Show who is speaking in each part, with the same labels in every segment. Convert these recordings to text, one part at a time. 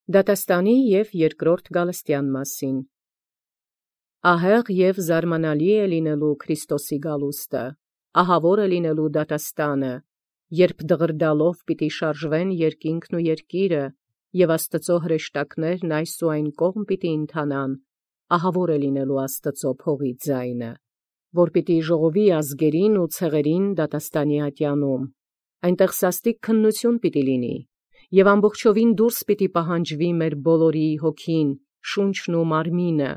Speaker 1: Դատաստանի և երկրորդ Գալստյան մասին։ Ահեղ և զարմանալի է լինելու Քրիստոսի գալուստը, ահավոր է լինելու դատաստանը, երբ դղրդալով պիտի շարժվեն երկինքն ու երկիրը, և Աստծո հրեշտակներն այս ու այն կողմ պիտի ընթանան, ահավոր է լինելու Աստծո փողի ձայնը, որ պիտի ժողովի ազգերին ու ցեղերին դատաստանի ատյանում, այնտեղ սաստիկ քննություն պիտի լինի, և ամբողջովին դուրս պիտի պահանջվի մեր բոլորի հոգին, շունչն ու մարմինը,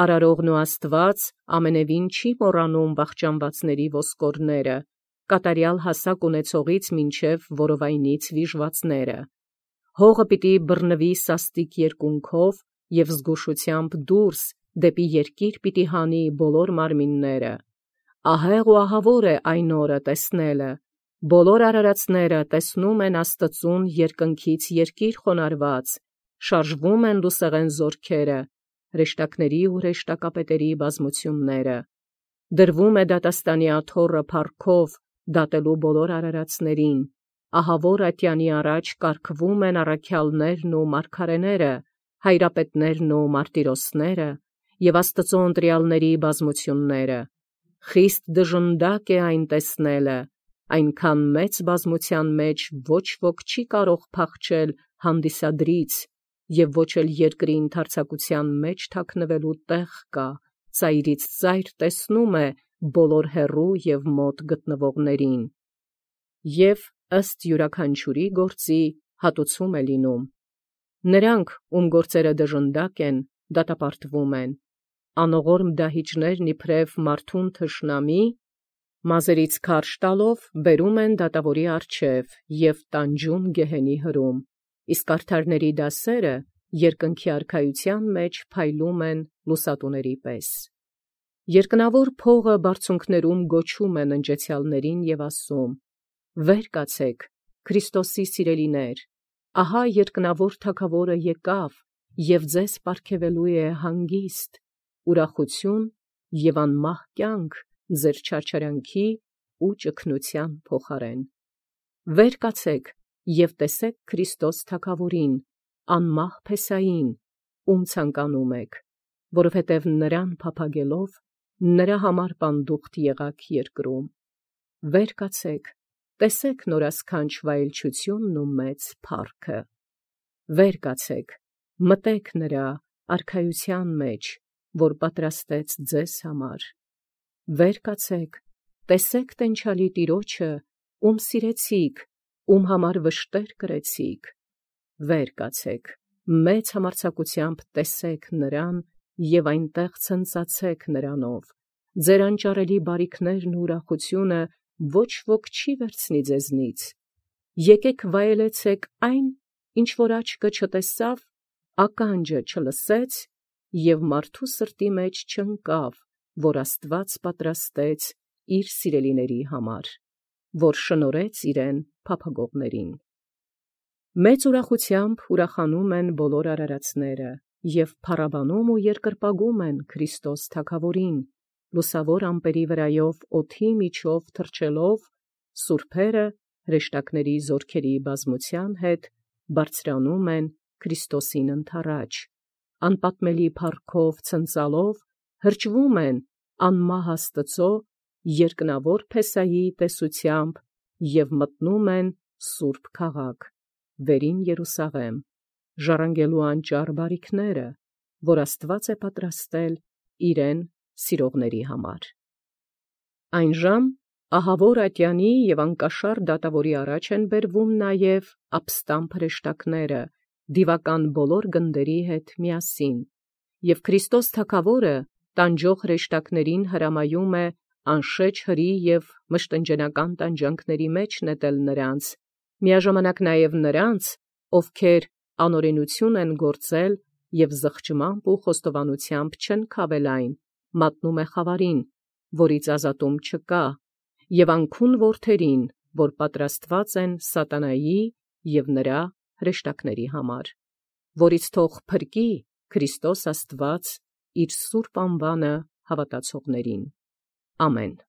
Speaker 1: արարողն ու Աստված ամենևին չի մոռանում վախճանվածների ոսկորները, կատարյալ հասակ ունեցողից մինչև որովայնից վիժվածները, հողը պիտի բռնվի սաստիկ երկունքով և զգուշությամբ դուրս դեպի երկիր պիտի հանի բոլոր մարմինները, ահեղ ու ահավոր է այն օրը տեսնելը, բոլոր արարածները տեսնում են Աստծուն երկնքից երկիր խոնարհված, շարժվում են լուսեղեն զորքերը, հրեշտակների ու հրեշտակապետերի բազմությունները, դրվում է դատաստանի աթոռը փառքով դատելու բոլոր արարածներին, ահավոր ատյանի առաջ կարգվում են առաքյալներն ու մարգարեները, հայրապետներն ու մարտիրոսները և Աստծո ընտրյալների բազմությունները, խիստ դժնդակ է այն տեսնելը, այնքան մեծ բազմության մեջ ոչ ոք չի կարող փախչել հանդիսադրից, և ոչ էլ երկրի ընդարձակության մեջ թաքնվելու տեղ կա, ծայրից ծայր տեսնում է բոլոր հեռու և մոտ գտնվողներին, և ըստ յուրաքանչյուրի գործի հատուցում է լինում. նրանք, ում գործերը դժնդակ են, դատապարտվում են, անողորմ դահիճներն իբրև մարդուն թշնամի, մազերից քարշ տալով բերում են դատավորի առջև և տանջում գեհենի հրում, իսկ արդարների դասերը երկնքի արքայության մեջ փայլում են լուսատուների պես։ Երկնավոր փողը բարձունքներում գոչում է ննջեցյալներին և ասում. «Վեր կացեք, Քրիստոսի սիրելիներ, ահա երկնավոր Թագավորը եկավ, և ձեզ պարգևելու է հանգիստ, ուրախություն և անմահ կյանք ձեր չարչարանքի ու ճգնության փոխարեն։ Վեր կացեք և տեսեք Քրիստոս Թագավորին, անմահ Փեսային, ում ցանկանում եք, որովհետև նրան փափագելով, նրա համար պանդուխտ եղաք երկրում։ Վեր կացեք, տեսեք նորասքանչ վայելչությունն ու մեծ փառքը։ Վեր կացեք, մտեք նրա արքայության մեջ, որ պատրաստեց ձեզ համար։ Վեր կացեք, տեսեք տենչալի Տիրոջը, ում սիրեցիք, ում համար վշտեր կրեցիք։ Վեր կացեք, մեծ համարձակությամբ տեսեք նրան և այնտեղ ցնծացեք նրանով, ձեր անճարելի բարիքներն ու ուրախությունը ոչ ոք չի վերցնի ձեզնից։ Եկեք վայելեցեք այն, ինչ որ աչքը չտեսավ, ականջը չլսեց և մարդու սրտի մեջ չընկավ, որ Աստված պատրաստեց իր սիրելիների համար, որ շնորհեց իրեն փափագողներին։ Մեծ ուրախությամբ ուրախանում են բոլոր արարածները և փառաբանում ու երկրպագում են Քրիստոս Թագավորին, լուսավոր ամպերի վրայով օդի միջով թռչելով, սուրբերը հրեշտակների զորքերի բազմության հետ բարձրանում են Քրիստոսին ընդառաջ, անպատմելի փառքով ցնծալով հրճվում են անմահ Աստծո երկնավոր Փեսայի տեսությամբ և մտնում են սուրբ քաղաք, վերին Երուսաղեմ, ժառանգելու անճառ բարիքները, որ Աստված է պատրաստել իրեն սիրողների համար։ Այն ժամ ահավոր ատյանի և անկաշառ դատավորի առաջ են բերվում նաև ապստամբ հրեշտակները, դիվական բոլոր գնդերի հետ միասին, և Քրիստոս Թագավորը տանջող հրեշտակներին հրամայում է անշեջ հրի և մշտնջենական տանջանքների մեջ նետել նրանց, միաժամանակ նաև նրանց, ովքեր անօրենություն են գործել և զղջմամբ ու խոստովանությամբ չեն քավել այն, մատնում է խավարին, որից ազատում չկա, և անքուն որդերին, որ պատրաստված են սատանայի և նրա հրեշտակների համար, որից թող փրկի Քրիստոս Աստված իր սուրբ անվանը հավատացողներին։ Ամեն։